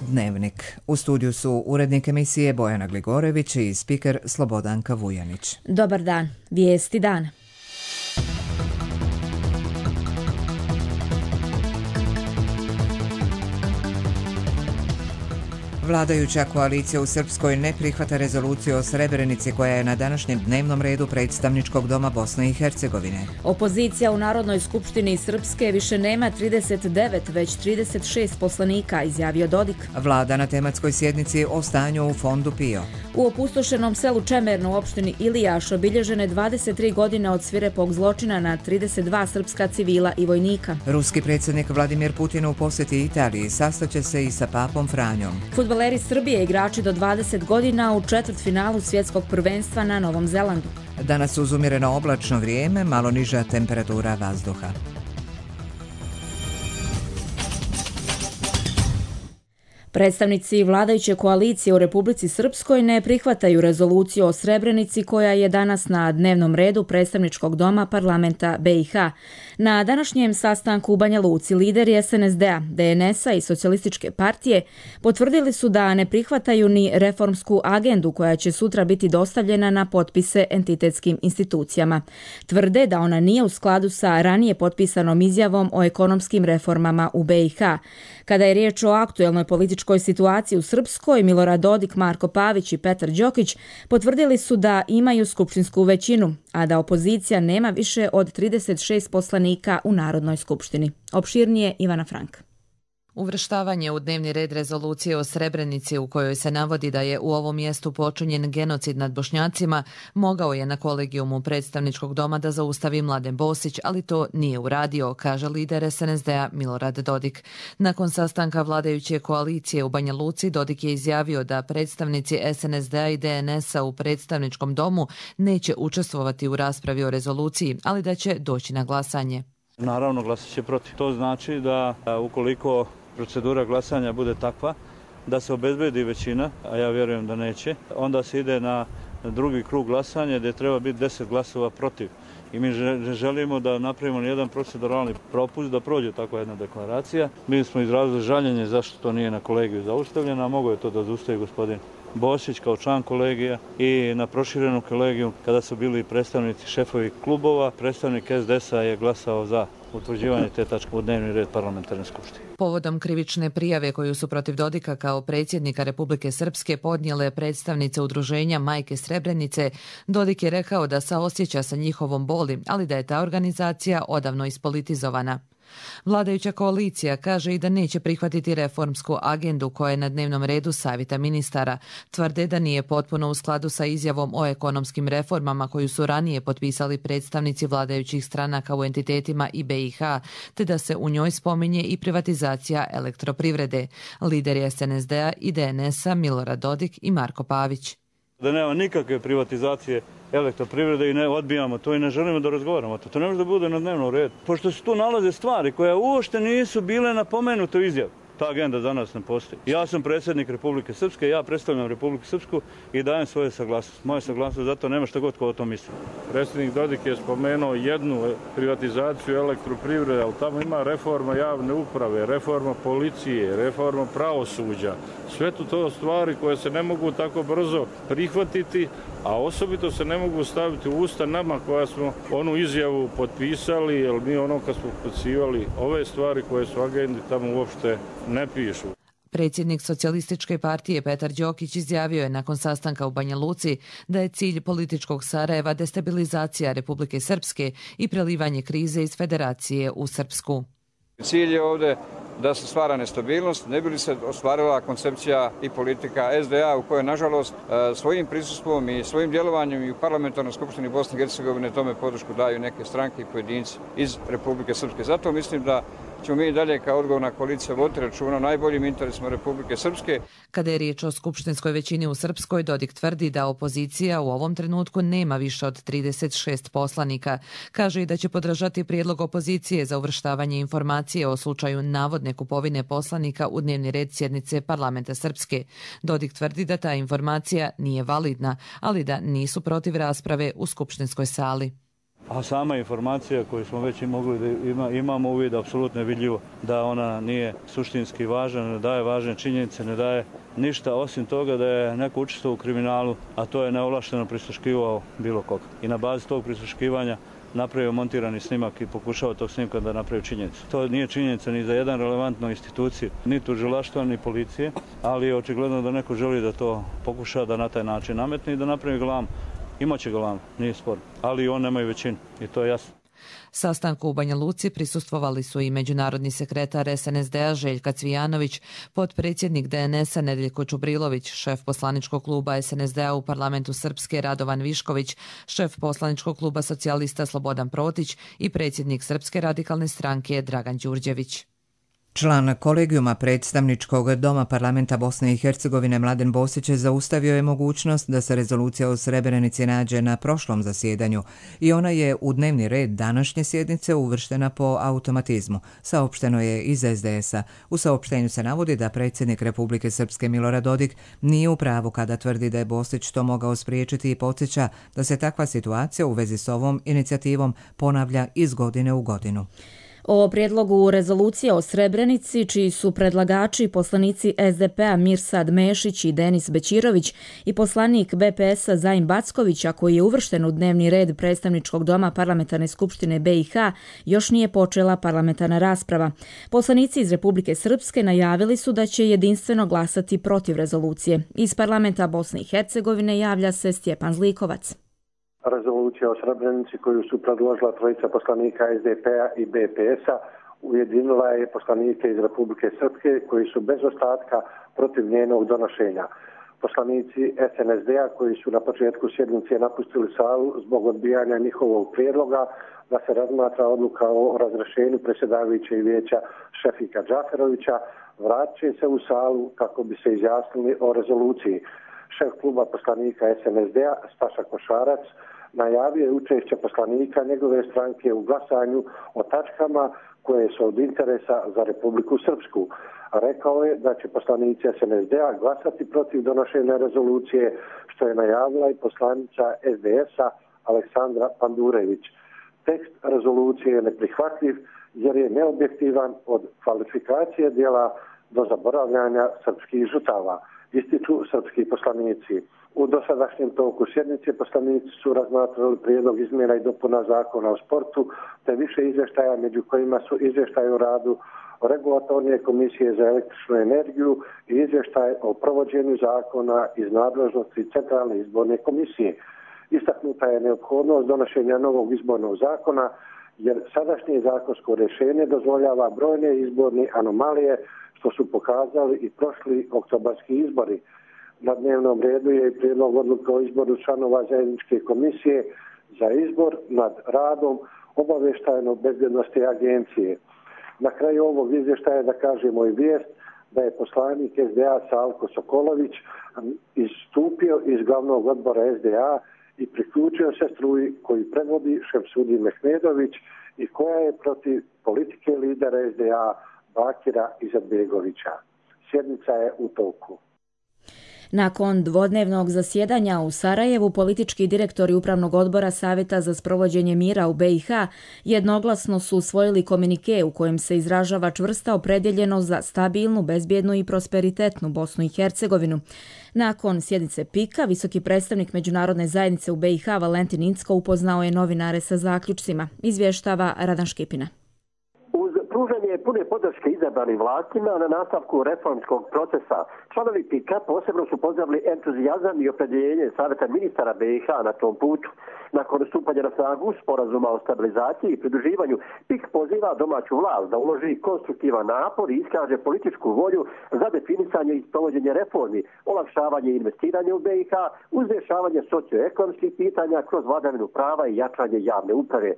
Dnevnik. U studiju su urednik emisije Bojana Gligorević i spiker Slobodanka Vujanić. Dobar dan. Vijesti dana. Vladajuća koalicija u Srpskoj ne prihvata rezoluciju o Srebrenici koja je na današnjem dnevnom redu predstavničkog doma Bosne i Hercegovine. Opozicija u Narodnoj skupštini Srpske više nema 39, već 36 poslanika, izjavio Dodik. Vlada na tematskoj sjednici o stanju u fondu PIO. U opustošenom selu Čemernu u opštini Ilijaš obilježene 23 godine od svirepog zločina na 32 srpska civila i vojnika. Ruski predsjednik Vladimir Putin u posjeti Italiji sastaće se i sa papom Franjom. Fudbaleri Srbije igrači do 20 godina u četvrtfinalu svjetskog prvenstva na Novom Zelandu. Danas uz umjereno oblačno vrijeme, malo niža temperatura vazduha. Predstavnici vladajuće koalicije u Republici Srpskoj ne prihvataju rezoluciju o Srebrenici koja je danas na dnevnom redu predstavničkog doma parlamenta BiH. Na današnjem sastanku u Banja Luci lideri SNSD-a, DNS-a i Socijalističke partije potvrdili su da ne prihvataju ni reformsku agendu koja će sutra biti dostavljena na potpise entitetskim institucijama. Tvrde da ona nije u skladu sa ranije potpisanom izjavom o ekonomskim reformama u BiH. Kada je riječ o aktuelnoj političkoj situaciji u Srpskoj, Milorad Dodik, Marko Pavić i Petar Đokić potvrdili su da imaju skupštinsku većinu, a da opozicija nema više od 36 poslanika u Narodnoj skupštini. Opširnije Ivana Frank. Uvrštavanje u dnevni red rezolucije o Srebrenici u kojoj se navodi da je u ovom mjestu počinjen genocid nad Bošnjacima mogao je na kolegijumu predstavničkog doma da zaustavi Mladen Bosić, ali to nije uradio, kaže lider SNSD-a Milorad Dodik. Nakon sastanka vladajuće koalicije u Banja Luci, Dodik je izjavio da predstavnici SNSD-a i DNS-a u predstavničkom domu neće učestvovati u raspravi o rezoluciji, ali da će doći na glasanje. Naravno, glasat će protiv. To znači da ukoliko procedura glasanja bude takva da se obezbedi većina, a ja vjerujem da neće, onda se ide na drugi krug glasanja gdje treba biti 10 glasova protiv. I mi želimo da napravimo jedan proceduralni propust da prođe takva jedna deklaracija. Mi smo izrazili žaljenje zašto to nije na kolegiju zaustavljeno, a mogo je to da zaustavi gospodin Bosić kao član kolegija i na proširenom kolegiju kada su bili predstavnici šefovi klubova, predstavnik SDS-a je glasao za utvrđivanje te tačke u dnevni red parlamentarne skupštine. Povodom krivične prijave koju su protiv Dodika kao predsjednika Republike Srpske podnijele predstavnice udruženja Majke Srebrenice, Dodik je rekao da saosjeća sa njihovom boli, ali da je ta organizacija odavno ispolitizovana. Vladajuća koalicija kaže i da neće prihvatiti reformsku agendu koja je na dnevnom redu savjeta ministara. Tvrde da nije potpuno u skladu sa izjavom o ekonomskim reformama koju su ranije potpisali predstavnici vladajućih stranaka u entitetima i BiH, te da se u njoj spominje i privatizacija elektroprivrede. Lideri SNSD-a i DNS-a Milorad Dodik i Marko Pavić. Da nema nikakve privatizacije elektroprivrede i ne odbijamo to i ne želimo da razgovaramo o to. To ne može da bude na dnevnom redu. Pošto se tu nalaze stvari koje uopšte nisu bile napomenute u izjavi. Ta agenda za nas ne postoji. Ja sam predsjednik Republike Srpske, ja predstavljam Republiku Srpsku i dajem svoje saglasnost. Moje saglasnost, zato nema šta god ko o tom misli. Predsjednik Dodik je spomenuo jednu privatizaciju elektroprivrede, ali tamo ima reforma javne uprave, reforma policije, reforma pravosuđa. Sve to stvari koje se ne mogu tako brzo prihvatiti, a osobito se ne mogu staviti u usta nama koja smo onu izjavu potpisali, jer mi ono kad smo potpisivali ove stvari koje su agendi tamo uopšte ne pišu. Predsjednik Socijalističke partije Petar Đokić izjavio je nakon sastanka u Banja Luci da je cilj političkog Sarajeva destabilizacija Republike Srpske i prelivanje krize iz Federacije u Srpsku. Cilj je ovdje da se stvara nestabilnost, ne bi li se ostvarila koncepcija i politika SDA u kojoj, nažalost, svojim prisustvom i svojim djelovanjem i u parlamentarnoj skupštini Bosne i Hercegovine tome podršku daju neke stranke i pojedinci iz Republike Srpske. Zato mislim da ćemo mi dalje kao odgovorna koalicija voditi računa o najboljim interesima Republike Srpske. Kada je riječ o skupštinskoj većini u Srpskoj, Dodik tvrdi da opozicija u ovom trenutku nema više od 36 poslanika. Kaže i da će podržati prijedlog opozicije za uvrštavanje informacije o slučaju navodne kupovine poslanika u dnevni red sjednice parlamenta Srpske. Dodik tvrdi da ta informacija nije validna, ali da nisu protiv rasprave u skupštinskoj sali. A sama informacija koju smo već mogli da imamo uvid, apsolutno je vidljivo da ona nije suštinski važna, ne daje važne činjenice, ne daje ništa osim toga da je neko učestvovao u kriminalu, a to je neovlašteno prisluškivao bilo koga. I na bazi tog prisluškivanja napravio montirani snimak i pokušao tog snimka da napravi činjenicu. To nije činjenica ni za jedan relevantnu instituciju, ni tužilaštva, ni policije, ali je očigledno da neko želi da to pokuša da na taj način nametne i da napravi galamu. Imaće galamu, nije spor, ali on nema i većinu i to je jasno. Sastanku u Banja Luci prisustvovali su i međunarodni sekretar SNSD-a Željka Cvijanović, potpredsjednik DNS-a Nedeljko Čubrilović, šef poslaničkog kluba SNSD-a u parlamentu Srpske Radovan Višković, šef poslaničkog kluba socijalista Slobodan Protić i predsjednik Srpske radikalne stranke Dragan Đurđević. Član kolegijuma predstavničkog doma parlamenta Bosne i Hercegovine Mladen Bosić zaustavio je mogućnost da se rezolucija o Srebrenici nađe na prošlom zasjedanju i ona je u dnevni red današnje sjednice uvrštena po automatizmu, saopšteno je iz SDS-a. U saopštenju se navodi da predsjednik Republike Srpske Milorad Dodik nije u pravu kada tvrdi da je Bosić to mogao spriječiti i podsjeća da se takva situacija u vezi s ovom inicijativom ponavlja iz godine u godinu. O prijedlogu rezolucije o Srebrenici, čiji su predlagači poslanici SDP-a Mirsad Mešić i Denis Bećirović i poslanik BPS-a Zajin Backović, a koji je uvršten u dnevni red predstavničkog doma Parlamentarne skupštine BiH, još nije počela parlamentarna rasprava. Poslanici iz Republike Srpske najavili su da će jedinstveno glasati protiv rezolucije. Iz parlamenta Bosne i Hercegovine javlja se Stjepan Zlikovac. Rezolucija o Srebrenici koju su predložila trojica poslanika SDP-a i BPS-a ujedinila je poslanike iz Republike Srpske koji su bez ostatka protiv njenog donošenja. Poslanici SNSD-a koji su na početku sjednice napustili salu zbog odbijanja njihovog prijedloga da se razmatra odluka o razrješenju predsjedavajućeg vijeća Šefika Džaferovića, vratit će se u salu kako bi se izjasnili o rezoluciji. Šef kluba poslanika SNSD-a Staša Košarac najavio je učešće poslanika njegove stranke u glasanju o tačkama koje su od interesa za Republiku Srpsku. Rekao je da će poslanici SNSD-a glasati protiv donošenja rezolucije, što je najavila i poslanica SDS-a Aleksandra Pandurević. Tekst rezolucije je neprihvatljiv jer je neobjektivan od kvalifikacije djela do zaboravljanja srpskih žrtava, ističu srpski poslanici. U dosadašnjem toku sjednice poslanici su razmatrali prijedlog izmjena i dopuna zakona o sportu, te više izvještaja među kojima su izvještaj o radu Regulatorne komisije za električnu energiju i izvještaj o provođenju zakona iz nadležnosti Centralne izborne komisije. Istaknuta je neophodnost donošenja novog izbornog zakona jer sadašnje zakonsko rješenje dozvoljava brojne izborne anomalije što su pokazali i prošli oktobarski izbori. Na dnevnom redu je i prijedlog odluke o izboru članova zajedničke komisije za izbor nad radom obavještajno-bezbjednosti agencije. Na kraju ovog izvještaja da kažemo i vijest da je poslanik SDA Salko Sokolović istupio iz glavnog odbora SDA i priključio se struji koju predvodi Šemsudin Mehmedović i koja je protiv politike lidera SDA Bakira Izetbegovića. Sjednica je u toku. Nakon dvodnevnog zasjedanja u Sarajevu, politički direktori Upravnog odbora Savjeta za sprovođenje mira u BiH jednoglasno su usvojili komunike u kojem se izražava čvrsta opredjeljenost za stabilnu, bezbjednu i prosperitetnu Bosnu i Hercegovinu. Nakon sjednice PIK-a, visoki predstavnik Međunarodne zajednice u BiH Valentin Incko upoznao je novinare sa zaključcima, izvještava Radan Škipina. Pružanje pune podrške izabranim vlastima na nastavku reformskog procesa. Članovi PIK-a posebno su pozdravili entuzijazam i opredjeljenje Savjeta ministara BiH na tom putu. Nakon stupanja na snagu sporazuma o stabilizaciji i pridruživanju, PIK poziva domaću vlast da uloži konstruktivan napor i iskaže političku volju za definisanje i sprovođenje reformi, olakšavanje investiranja u BiH, uz rješavanje socioekonomskih pitanja kroz vladavinu prava i jačanje javne uprave.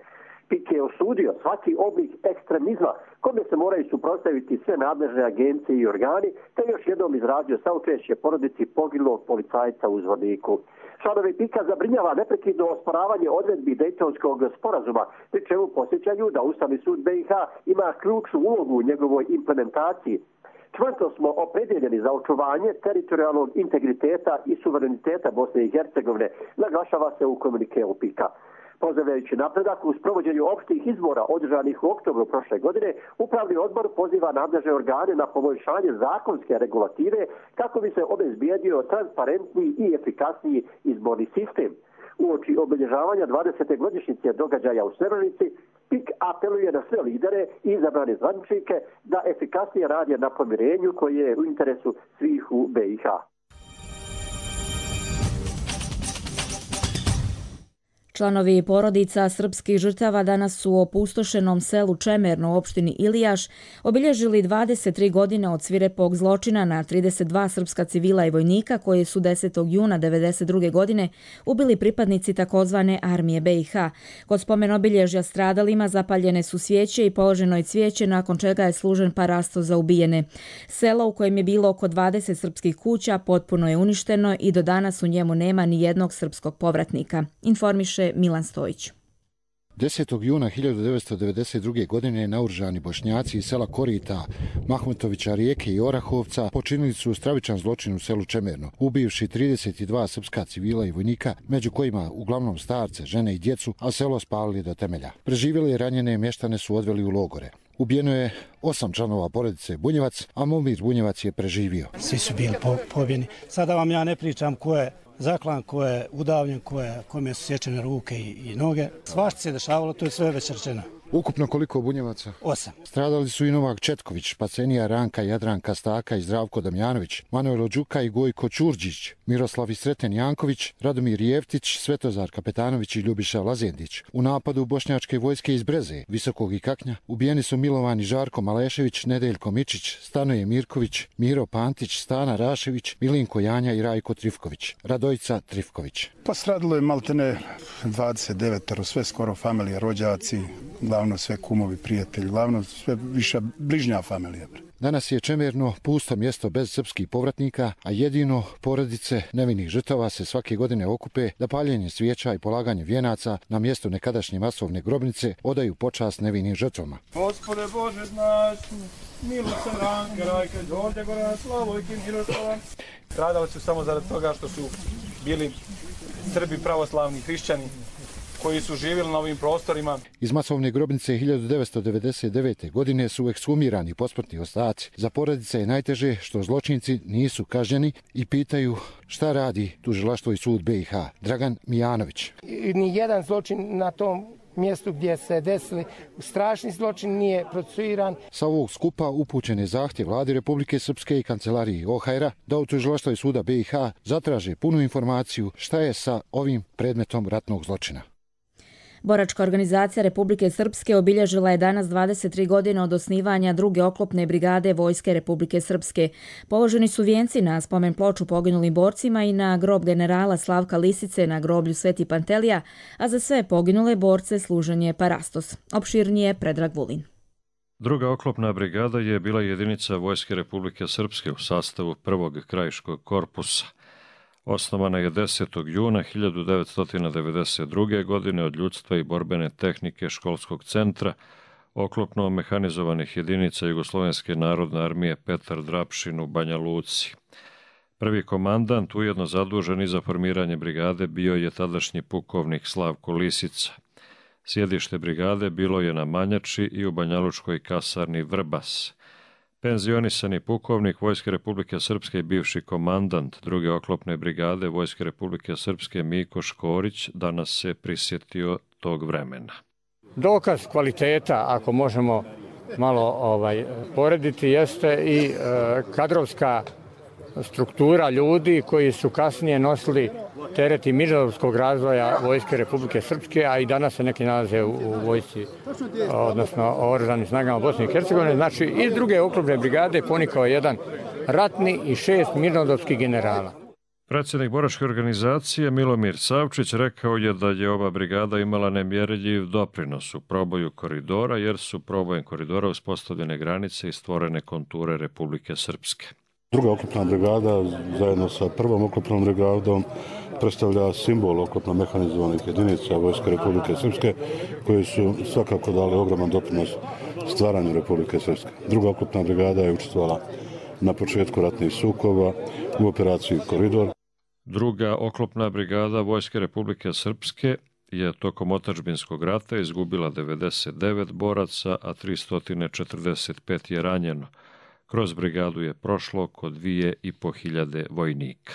PIK je osudio svaki oblik ekstremizma kome se moraju suprotstaviti sve nadležne agencije i organi, te još jednom izrazio saučešće porodici poginulog policajca u Zvorniku. Članovi PIK-a zabrinjava neprekidno osporavanje odredbi Dejtonskog sporazuma, pri čemu posjećaju da Ustavni sud BiH ima ključnu ulogu u njegovoj implementaciji. Čvrsto smo opredjeljeni za očuvanje teritorijalnog integriteta i suvereniteta Bosne i Hercegovine, naglašava se u komunikeu PIK-a. Pozdravljajući napredak u sprovođenju opštih izbora održanih u oktobru prošle godine, Upravni odbor poziva nadležne organe na poboljšanje zakonske regulative kako bi se obezbijedio transparentniji i efikasniji izborni sistem. Uoči obilježavanja 20. godišnjice događaja u Srebrenici, PIK apeluje na sve lidere i izabrane zvaničnike da efikasnije rade na pomirenju koje je u interesu svih u BiH. Članovi porodica srpskih žrtava danas su u opustošenom selu Čemerno u opštini Ilijaš obilježili 23 godine od svirepog zločina na 32 srpska civila i vojnika koji su 10. juna 1992. godine ubili pripadnici takozvane armije BiH. Kod spomen obilježja stradalima zapaljene su svijeće i položeno je cvijeće nakon čega je služen parasto za ubijene. Selo u kojem je bilo oko 20 srpskih kuća potpuno je uništeno i do danas u njemu nema ni jednog srpskog povratnika. Informiše Milan Stojić. 10. juna 1992. godine naoružani Bošnjaci iz sela Korita, Mahmutovića, Rijeke i Orahovca počinili su stravičan zločin u selu Čemerno, ubivši 32 srpska civila i vojnika, među kojima uglavnom starce, žene i djecu, a selo spalili do temelja. Preživjeli i ranjene mještane su odveli u logore. Ubijeno je 8 članova porodice Bunjevac, a Momir Bunjevac je preživio. Svi su bili pobjeni. Sada vam ja ne pričam ko je zaklan, ko je udavljen, kome su sječene ruke i noge. Svašta se dešavalo, to je sve već rečeno. Ukupno koliko Bunjevaca? 8. Stradali su i Novak Četković, Pacenija, Ranka, Jadranka Staka i Zdravko Damjanović, Manuel Đuka i Gojko Ćurđić, Miroslav i Sreten Janković, Radomir Jeftić, Svetozar Kapetanović i Ljubiša Lazendić. U napadu bošnjačke vojske iz Breze, Visokog i Kaknja, ubijeni su Milovan i Žarko Malešević, Nedeljko Mičić, Stanoje Mirković, Miro Pantić, Stana Rašević, Milinko Janja i Rajko Trifković, Radojica Trifković. Pa stradilo je maltene 29, sve skoro familije, rođaci, glavno sve kumovi, prijatelji, glavno sve viša bližnja familija. Danas je Čemerno pusto mjesto bez srpskih povratnika, a jedino porodice nevinih žrtava se svake godine okupe da paljenje svijeća i polaganje vijenaca na mjestu nekadašnje masovne grobnice odaju počast nevinim žrtvama. Gospode Bože naš, milost ranke, rajke, dođe gora, slavojke, Miroslava. Stradali su samo zarad toga što su bili Srbi pravoslavni hrišćani koji su živjeli na ovim prostorima. Iz masovne grobnice 1999. godine su ekshumirani posmrtni ostaci. Za porodice je najteže što zločinci nisu kažnjeni i pitaju šta radi tužilaštvo i sud BiH. Dragan Mijanović. Ni jedan zločin na tom mjestu gdje se desili strašni zločin nije procesuiran. Sa ovog skupa upućen je zahtjev Vladi Republike Srpske i kancelariji OHR-a da u tužilaštvu i suda BiH zatraže punu informaciju šta je sa ovim predmetom ratnog zločina. Boračka organizacija Republike Srpske obilježila je danas 23 godine od osnivanja druge oklopne brigade Vojske Republike Srpske. Položeni su vijenci na spomen ploču poginulim borcima i na grob generala Slavka Lisice na groblju Sveti Pantelija, a za sve poginule borce služen je parastos. Opširnije Predrag Vulin. Druga oklopna brigada je bila jedinica Vojske Republike Srpske u sastavu prvog krajiškog korpusa. Osnovana je 10. juna 1992. godine od ljudstva i borbene tehnike školskog centra oklopno mehanizovanih jedinica Jugoslovenske narodne armije Petar Drapšin u Banja Luci. Prvi komandant, ujedno zadužen i za formiranje brigade, bio je tadašnji pukovnik Slavko Lisica. Sjedište brigade bilo je na Manjači i u banjalučkoj kasarni Vrbas. Penzionisani pukovnik Vojske Republike Srpske i bivši komandant druge oklopne brigade Vojske Republike Srpske Miko Škorić danas se prisjetio tog vremena. Dokaz kvaliteta, ako možemo malo porediti, jeste i kadrovska struktura ljudi koji su kasnije nosili teret i mirnodopskog razvoja Vojske Republike Srpske, a i danas se neki nalaze u vojsci, odnosno oružanim snagama Bosne i Hercegovine. Znači, iz druge oklopne brigade ponikao jedan ratni i 6 mirnodopskih generala. Predsjednik boračke organizacije Milomir Savčić rekao je da je ova brigada imala nemjerljiv doprinos u proboju koridora, jer su probojem koridora uspostavljene granice i stvorene konture Republike Srpske. Druga oklopna brigada zajedno sa prvom oklopnom brigadom predstavlja simbol oklopno mehanizovanih jedinica Vojske Republike Srpske koji su svakako dali ogroman doprinos stvaranju Republike Srpske. Druga oklopna brigada je učestvovala na početku ratnih sukoba u operaciji Koridor. Druga oklopna brigada Vojske Republike Srpske je tokom otadžbinskog rata izgubila 99 boraca, a 345 je ranjeno. Kroz brigadu je prošlo oko 2500 vojnika.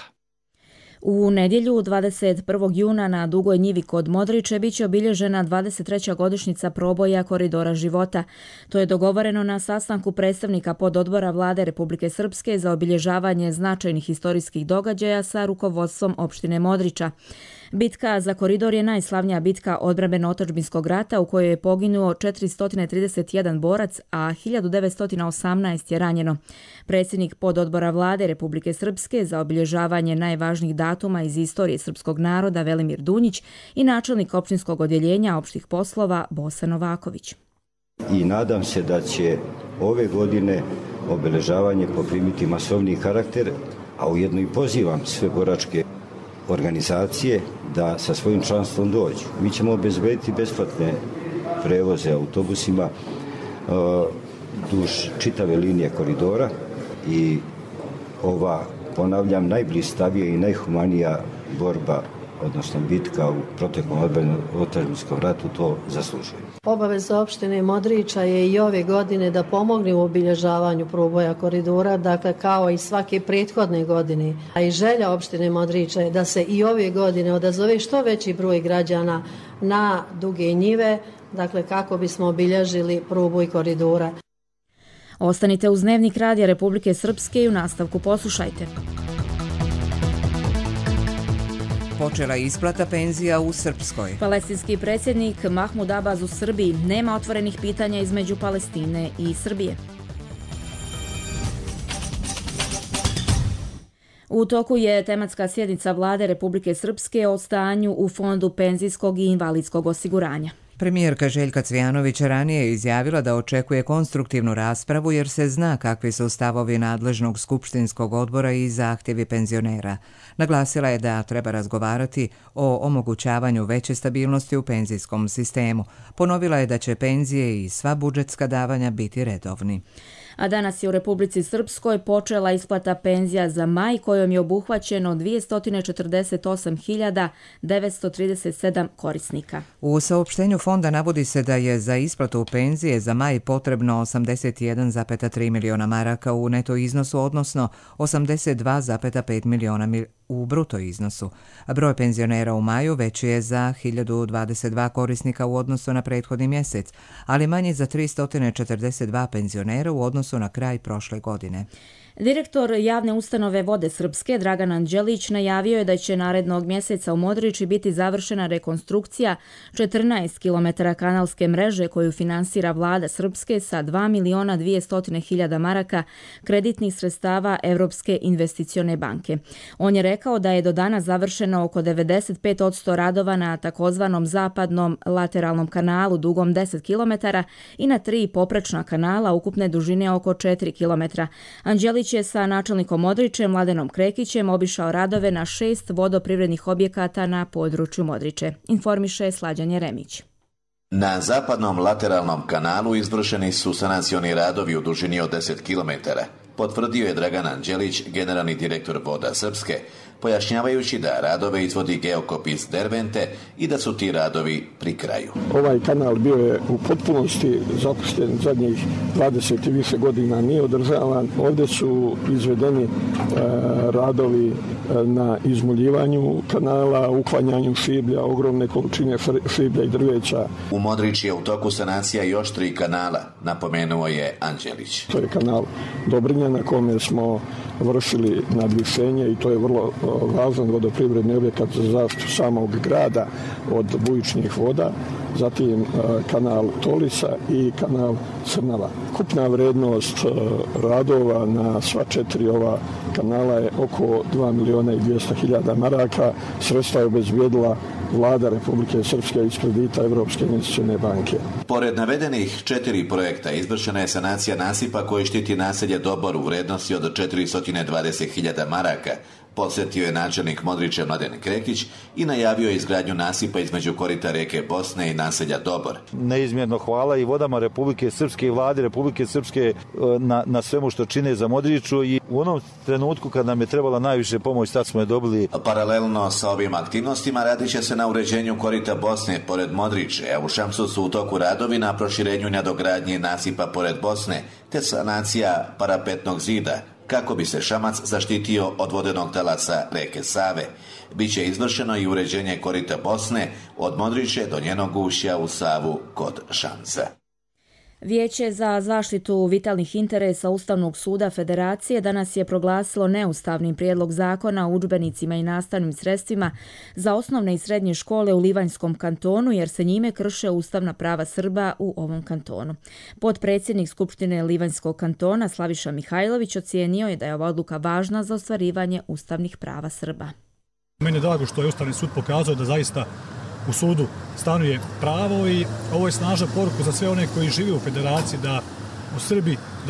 U nedjelju 21. juna na Dugoj njivi kod Modriče biće obilježena 23. godišnjica proboja Koridora života. To je dogovoreno na sastanku predstavnika pododbora Vlade Republike Srpske za obilježavanje značajnih historijskih događaja sa rukovodstvom opštine Modriča. Bitka za koridor je najslavnija bitka odbrambeno-otadžbinskog rata u kojoj je poginuo 431 borac, a 1918 je ranjeno. Predsjednik pododbora Vlade Republike Srpske za obilježavanje najvažnijih datuma iz istorije srpskog naroda Velimir Dunjić i načelnik opštinskog odjeljenja opštih poslova Bosa Novaković. I nadam se da će ove godine obeležavanje poprimiti masovni karakter, a ujedno i pozivam sve boračke organizacije da sa svojim članstvom dođu. Mi ćemo obezbediti besplatne prevoze autobusima duž čitave linije koridora i ova, ponavljam, najblistavija i najhumanija borba, odnosno bitka u proteklom otadžbinskom ratu to zaslužuje. Obaveza opštine Modriča je i ove godine da pomogne u obilježavanju proboja koridora, dakle kao i svake prethodne godine. A i želja opštine Modriča je da se i ove godine odazove što veći broj građana na Duge njive, dakle kako bismo obilježili proboj koridora. Ostanite uz Dnevnik Radija Republike Srpske i u nastavku poslušajte. Počela isplata penzija u Srpskoj. Palestinski predsjednik Mahmud Abbas u Srbiji: nema otvorenih pitanja između Palestine i Srbije. U toku je tematska sjednica Vlade Republike Srpske o stanju u Fondu penzijskog i invalidskog osiguranja. Premijerka Željka Cvijanović ranije je izjavila da očekuje konstruktivnu raspravu jer se zna kakvi su stavovi nadležnog skupštinskog odbora i zahtjevi penzionera. Naglasila je da treba razgovarati o omogućavanju veće stabilnosti u penzijskom sistemu. Ponovila je da će penzije i sva budžetska davanja biti redovni. A danas je u Republici Srpskoj počela isplata penzija za maj kojom je obuhvaćeno 248.937 korisnika. U saopštenju fonda navodi se da je za isplatu penzije za maj potrebno 81,3 miliona maraka u neto iznosu, odnosno 82,5 miliona u bruto iznosu. Broj penzionera u maju veći je za 1022 korisnika u odnosu na prethodni mjesec, ali manji za 342 penzionera u odnosu na kraj prošle godine. Direktor javne ustanove Vode Srpske Dragan Anđelić najavio je da će narednog mjeseca u Modriči biti završena rekonstrukcija 14 km kanalske mreže koju finansira Vlada Srpske sa 2.200.000 maraka kreditnih sredstava Evropske investicione banke. On je rekao da je do danas završeno oko 95% radova na takozvanom zapadnom lateralnom kanalu dugom 10 km i na 3 poprečna kanala ukupne dužine oko 4 km. Anđelić je sa načelnikom Modriče Mladenom Krekićem obišao radove na 6 vodoprivrednih objekata na području Modriče. Informiše Slađan Jeremić. Na zapadnom lateralnom kanalu izvršeni su sanacioni radovi u dužini od 10 km, potvrdio je Dragan Anđelić, generalni direktor Voda Srpske, pojašnjavajući da radove izvodi Geokopis Dervente i da su ti radovi pri kraju. Ovaj kanal bio je u potpunosti zapušten zadnjih 20 i više godina, nije održavan. Ovdje su izvedeni radovi na izmuljivanju kanala, uklanjanju šiblja, ogromne količine šiblja i drveća. U Modriči je u toku sanacija još 3 kanala, napomenuo je Anđelić. To je kanal Dobrinja na kome smo vršili nadvišenje i to je vrlo važan vodoprivredni objekat za zaštitu samog grada od bujičnih voda, zatim kanal Tolisa i kanal Crnava. Kupna vrednost radova na sva 4 ova kanala je oko 2.200.000 maraka. Sredstva je obezbijedila Vlada Republike Srpske iz kredita Evropske investicione banke. Pored navedenih 4 projekta izvršena je sanacija nasipa koji štiti naselje Dobor u vrednosti od 420.000 maraka, Posjetio je načelnik Modrića Mladen Krekić i najavio je izgradnju nasipa između korita rijeke Bosne i naselja Dobor. Neizmjerno hvala i vodama Republike Srpske i vladi Republike Srpske na svemu što čine za Modriću i u onom trenutku kad nam je trebala najviše pomoć, tad smo je dobili. Paralelno sa ovim aktivnostima radit će se na uređenju korita Bosne pored Modriće, a u Šamsu su u toku radovi na proširenju i nadogradnji nasipa pored Bosne, te sanacija parapetnog zida, kako bi se Šamac zaštitio od vodenog talasa reke Save. Biće izvršeno i uređenje korita Bosne od Modriće do njenog ušća u Savu kod Šamca. Vijeće za zaštitu vitalnih interesa Ustavnog suda Federacije danas je proglasilo neustavnim prijedlog zakona o udžbenicima i nastavnim sredstvima za osnovne i srednje škole u Livanjskom kantonu jer se njime krše ustavna prava Srba u ovom kantonu. Potpredsjednik Skupštine Livanjskog kantona Slaviša Mihajlović ocijenio je da je ova odluka važna za ostvarivanje ustavnih prava Srba. Meni je drago što je Ustavni sud pokazao da zaista u sudu stanuje pravo i ovo je snažna poruka za sve one koji žive u Federaciji da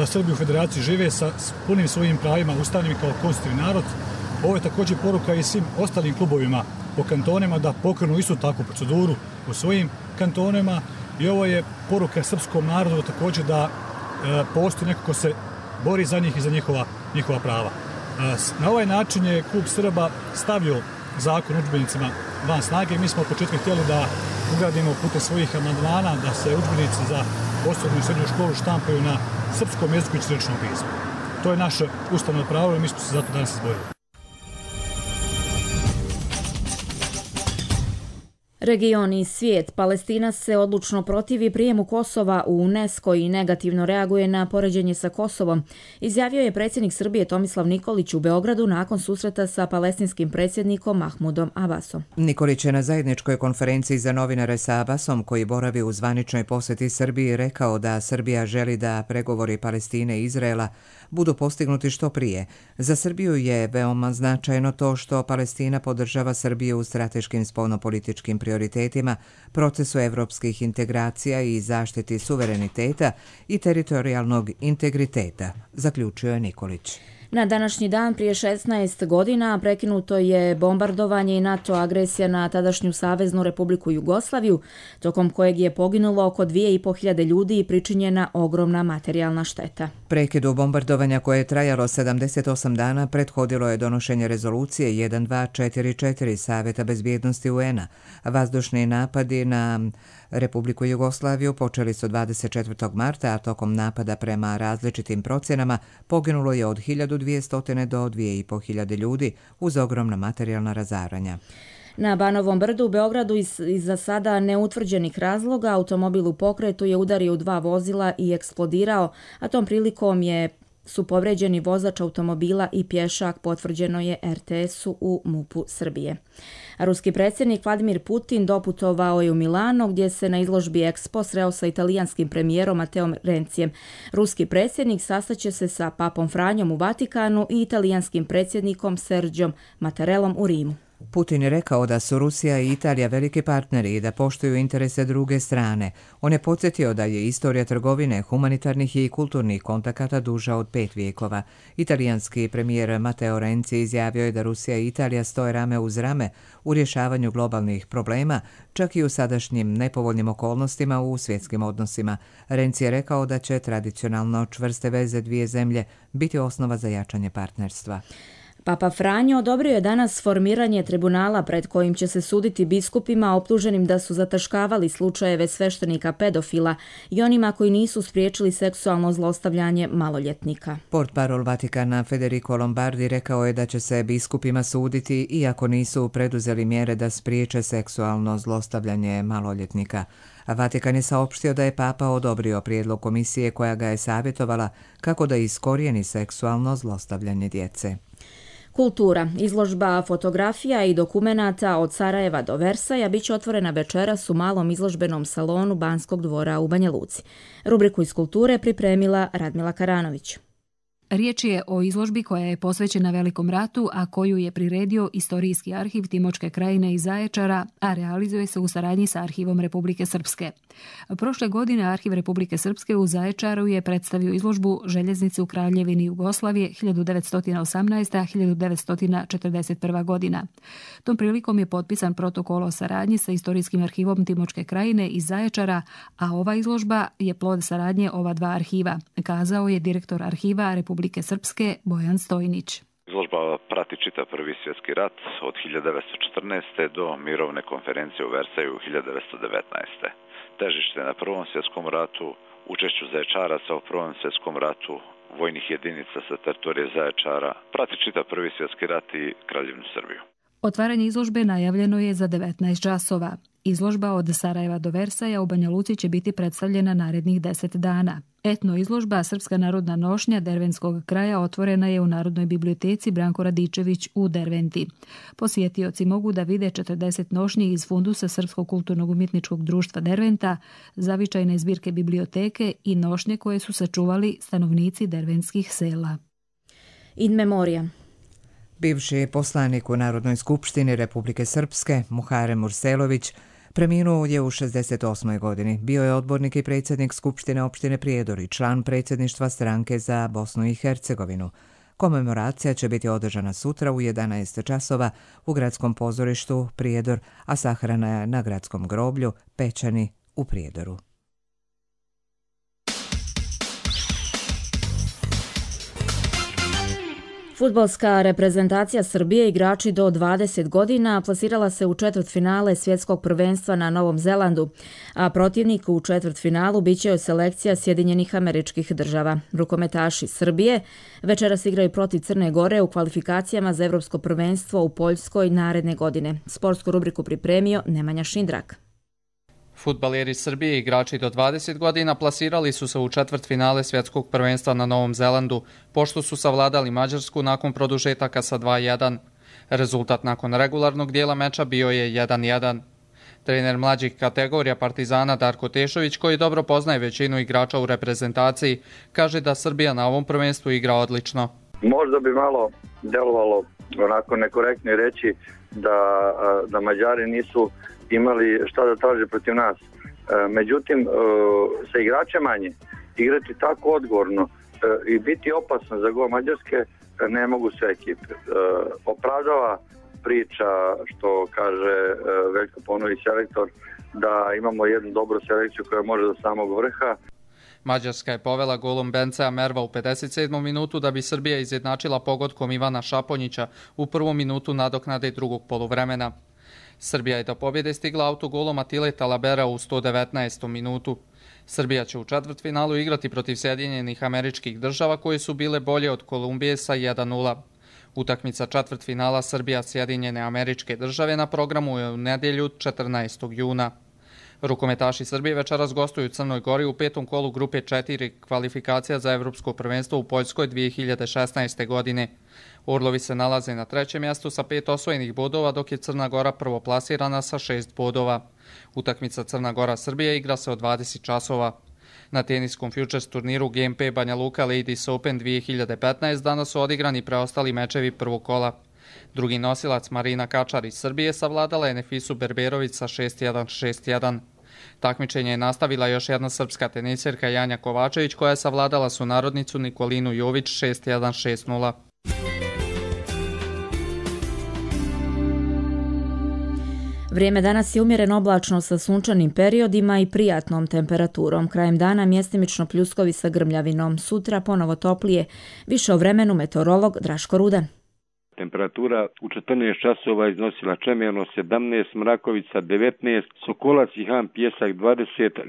Srbi u Federaciji žive sa punim svojim pravima ustavnim kao konstitutivni narod. Ovo je također poruka i svim ostalim klubovima po kantonima da pokrenu istu takvu proceduru u svojim kantonima i ovo je poruka srpskom narodu također da postoji neko ko se bori za njih i za njihova prava. Na ovaj način je klub Srba stavio zakon o udžbenicima van snage. Mi smo od početka htjeli da ugradimo putem svojih amandmana da se udžbenici za osnovnu i srednju školu štampaju na srpskom jeziku i ćiriličnom pismu. To je naše ustavno pravo i mi smo se zato danas izborili. Region i svijet. Palestina se odlučno protivi prijemu Kosova u UNESCO i negativno reaguje na poređenje sa Kosovom, izjavio je predsjednik Srbije Tomislav Nikolić u Beogradu nakon susreta sa palestinskim predsjednikom Mahmudom Abbasom. Nikolić je na zajedničkoj konferenciji za novinare sa Abbasom, koji boravi u zvaničnoj posjeti Srbiji, rekao da Srbija želi da pregovori Palestine i Izraela budu postignuti što prije. Za Srbiju je veoma značajno to što Palestina podržava Srbiju u strateškim spoljnopolitičkim prioritetima, procesu evropskih integracija i zaštiti suvereniteta i teritorijalnog integriteta, zaključio je Nikolić. Na današnji dan prije 16 godina prekinuto je bombardovanje i NATO agresija na tadašnju Saveznu Republiku Jugoslaviju, tokom kojeg je poginulo oko 2.500 ljudi i pričinjena ogromna materijalna šteta. Prekidu bombardovanja koje je trajalo 78 dana prethodilo je donošenje rezolucije 1244 Saveta bezbjednosti UN-a. Vazdušni napadi na Republiku Jugoslaviju počeli su 24. marta, a tokom napada prema različitim procjenama poginulo je od 1200 do 2500 ljudi uz ogromna materijalna razaranja. Na Banovom brdu u Beogradu iz za sada neutvrđenih razloga automobil u pokretu je udario u 2 vozila i eksplodirao, a tom prilikom su povređeni vozač automobila i pješak, potvrđeno je RTS-u u MUP-u Srbije. Ruski predsjednik Vladimir Putin doputovao je u Milano gdje se na izložbi Expo sreo sa italijanskim premijerom Matteom Renzijem. Ruski predsjednik sastaće se sa papom Franjom u Vatikanu i italijanskim predsjednikom Sergiom Mattarellom u Rimu. Putin je rekao da su Rusija i Italija veliki partneri i da poštuju interese druge strane. On je podsjetio da je istorija trgovine, humanitarnih i kulturnih kontakata duža od 5 vijekova. Italijanski premijer Matteo Renzi izjavio je da Rusija i Italija stoje rame uz rame u rješavanju globalnih problema, čak i u sadašnjim nepovoljnim okolnostima u svjetskim odnosima. Renzi je rekao da će tradicionalno čvrste veze dvije zemlje biti osnova za jačanje partnerstva. Papa Franjo odobrio je danas formiranje tribunala pred kojim će se suditi biskupima optuženim da su zataškavali slučajeve sveštenika pedofila i onima koji nisu spriječili seksualno zlostavljanje maloljetnika. Portparol Vatikana Federico Lombardi rekao je da će se biskupima suditi iako nisu preduzeli mjere da spriječe seksualno zlostavljanje maloljetnika. Vatikan je saopštio da je Papa odobrio prijedlog komisije koja ga je savjetovala kako da iskorijeni seksualno zlostavljanje djece. Kultura. Izložba fotografija i dokumenata od Sarajeva do Versaja bit će otvorena večeras u malom izložbenom salonu Banskog dvora u Banja Luci. Rubriku iz kulture pripremila Radmila Karanović. Riječ je o izložbi koja je posvećena Velikom ratu, a koju je priredio Istorijski arhiv Timočke krajine iz Zaječara, a realizuje se u saradnji sa Arhivom Republike Srpske. Prošle godine Arhiv Republike Srpske u Zaječaru je predstavio izložbu Željeznice u Kraljevini Jugoslavije 1918-1941 godina. Tom prilikom je potpisan protokol o saradnji sa Istorijskim arhivom Timočke krajine iz Zaječara, a ova izložba je plod saradnje ova dva arhiva, kazao je direktor Arhiva Republike Srpske Bojan Stojnić. Izložba prati čitav Prvi svjetski rat od 1914. do mirovne konferencije u Versaju 1919. Težište na Prvom svjetskom ratu, učešću Zaječaraca u Prvom svjetskom ratu, vojnih jedinica sa teritorije Zaječara, prati čitav Prvi svjetski rat i Kraljevinu Srbiju. Otvaranje izložbe najavljeno je za 19 časova. Izložba od Sarajeva do Versaja u Banja Luci će biti predstavljena narednih 10 dana. Etno izložba Srpska narodna nošnja Dervenskog kraja otvorena je u Narodnoj biblioteci Branko Radičević u Derventi. Posjetioci mogu da vide 40 nošnji iz fundusa Srpskog kulturnog umjetničkog društva Derventa, zavičajne zbirke biblioteke i nošnje koje su sačuvali stanovnici dervenskih sela. In memoria. Bivši poslanik u Narodnoj skupštini Republike Srpske, Muharem Murselović, preminuo je u 68. godini. Bio je odbornik i predsjednik Skupštine opštine Prijedor i član predsjedništva stranke za Bosnu i Hercegovinu. Komemoracija će biti održana sutra u 11 časova u gradskom pozorištu Prijedor, a sahrana je na gradskom groblju Pećani u Prijedoru. Fudbalska reprezentacija Srbije, igrači do 20 godina, plasirala se u četvrtfinale svjetskog prvenstva na Novom Zelandu, a protivnik u četvrtfinalu biće joj selekcija Sjedinjenih Američkih Država. Rukometaši Srbije večeras igraju protiv Crne Gore u kvalifikacijama za Evropsko prvenstvo u Poljskoj naredne godine. Sportsku rubriku pripremio Nemanja Šindrak. Fudbaleri Srbije, igrači do 20 godina, plasirali su se u četvrtfinale svjetskog prvenstva na Novom Zelandu, pošto su savladali Mađarsku nakon produžetaka sa 2:1. Rezultat nakon regularnog dijela meča bio je 1:1. Trener mlađih kategorija Partizana Darko Tešović, koji dobro poznaje većinu igrača u reprezentaciji, kaže da Srbija na ovom prvenstvu igra odlično. Možda bi malo delovalo onako nekorektno reći da Mađari nisu imali šta da traže protiv nas. Međutim, sa igrača manje, igrati tako odgovorno i biti opasan za gol Mađarske ne mogu sve ekipe. Opravdava priča što kaže Veljko Paunović selektor da imamo jednu dobru selekciju koja može do samog vrha. Mađarska je povela golom Bencea Merva u 57. minutu da bi Srbija izjednačila pogodkom Ivana Šaponjića u prvom minutu nadoknade drugog poluvremena. Srbija je do pobjede stigla autogolom Atile Talabera u 119. minutu. Srbija će u četvrtfinalu igrati protiv Sjedinjenih Američkih Država koje su bile bolje od Kolumbije sa 1:0. Utakmica četvrtfinala Srbija-Sjedinjene Američke Države na programu je u nedjelju 14. juna. Rukometaši Srbije večeras gostuju u Crnoj Gori u petom kolu grupe 4 kvalifikacija za Evropsko prvenstvo u Poljskoj 2016. godine. Orlovi se nalaze na trećem mjestu sa 5 osvojenih bodova, dok je Crna Gora prvoplasirana sa 6 bodova. Utakmica Crna Gora-Srbija igra se od 20 časova. Na teniskom Futures turniru GMP Banja Luka Ladies Open 2015 danas su odigrani preostali mečevi prvog kola. Drugi nosilac Marina Kačar iz Srbije savladala je Nefisu Berberović sa 6:1, 6:1. Takmičenje je nastavila još jedna srpska tenisirka Janja Kovačević koja je savladala sunarodnicu Nikolinu Jović 6:1, 6:0. Vrijeme danas je umjereno oblačno sa sunčanim periodima i prijatnom temperaturom. Krajem dana mjestimično pljuskovi sa grmljavinom. Sutra ponovo toplije. Više o vremenu meteorolog Draško Rudan. Temperatura u 14 časova iznosila Čemerno 17, Mrakovica 19, Sokolac i Han Pjesak 20,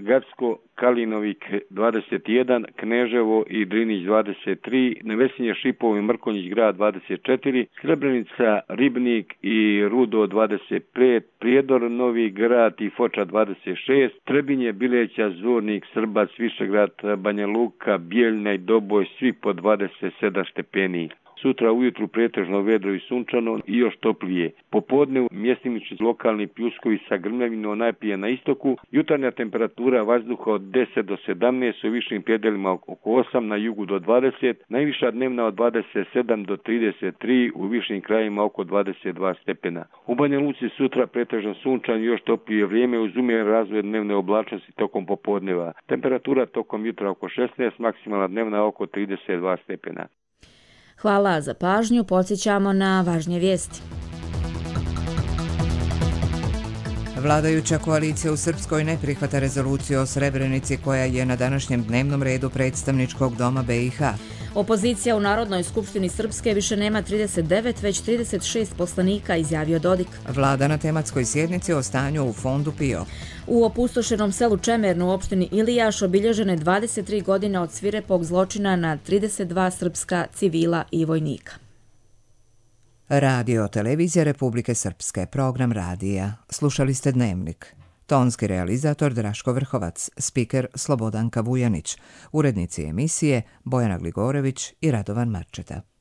Gacko, Kalinovik 21, Kneževo i Drinić 23, Nevesinje, Šipovo i Mrkonjić grad 24, Srebrenica, Ribnik i Rudo 25, Prijedor, Novi grad i Foča 26, Trebinje, Bileća, Zvornik, Srbac, Višegrad, Banja Luka, Bijeljna i Doboj, svi po 27 stepeni. sutra ujutru pretežno vedro i sunčano i još toplije. Popodne mjestimični lokalni pljuskovi sa grmljavinom najprije na istoku, jutarnja temperatura vazduha od 10 do 17, u višim predjelima oko 8, na jugu do 20, najviša dnevna od 27 do 33, u višim krajima oko 22 stepena. U Banja Luci sutra pretežno sunčan i još toplije vrijeme uz umjeren razvoj dnevne oblačnosti tokom popodneva. Temperatura tokom jutra oko 16, maksimalna dnevna oko 32 stepena. Hvala za pažnju, podsjećamo na važnije vijesti. Vladajuća koalicija u Srpskoj ne prihvata rezoluciju o Srebrenici koja je na današnjem dnevnom redu predstavničkog doma BiH. Opozicija u Narodnoj skupštini Srpske više nema 39, već 36 poslanika, izjavio Dodik. Vlada na tematskoj sjednici o stanju u fondu PIO. U opustošenom selu Čemernu u opštini Ilijaš obilježene 23 godine od svirepog zločina na 32 srpska civila i vojnika. Radio Televizija Republike Srpske, program radija. Slušali ste Dnevnik. Tonski realizator Draško Vrhovac, spiker Slobodanka Vujanić, urednici emisije Bojana Gligorević i Radovan Marčeta.